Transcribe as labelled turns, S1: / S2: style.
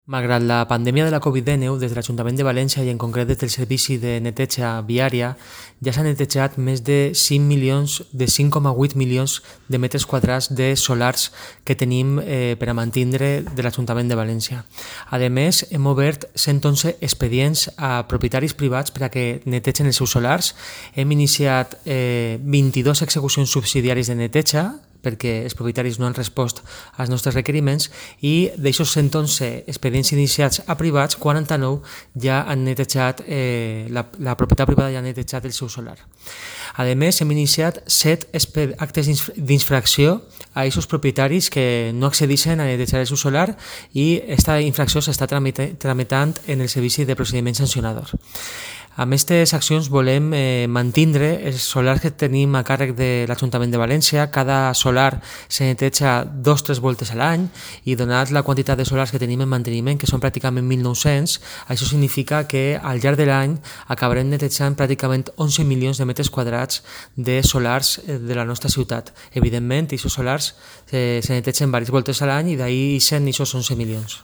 S1: Malgrat la pandèmia de la Covid-19, des de l'Ajuntament de València i en concret des del Servici de Neteja Viària, ja s'han netejat més de 5,8 milions de metres quadrats de solars que tenim per a mantindre de l'Ajuntament de València. A més, hem obert 111 expedients a propietaris privats per a que netegen els seus solars. Hem iniciat 22 execucions subsidiàries de neteja, perquè els propietaris no han respost als nostres requeriments, i d'aixòs 111 expedients iniciats a privats, 49 ja han netejat, la propietat privada ja ha netejat el seu solar. A més, hem iniciat 7 actes d'infracció a aquests propietaris que no accedeixen a netejar el seu solar, i aquesta infracció s'està tramitant en el Servici de Procediment Sancionador. Amb aquestes accions volem mantindre els solars que tenim a càrrec de l'Ajuntament de València. Cada solar se neteja 2 o 3 voltes a l'any, i donat la quantitat de solars que tenim en manteniment, que són pràcticament 1.900, això significa que al llarg de l'any acabarem netejant pràcticament 11 milions de metres quadrats de solars de la nostra ciutat. Evidentment, aquests solars se netegen diverses voltes a l'any, i d'ahir ixen aquests 11 milions.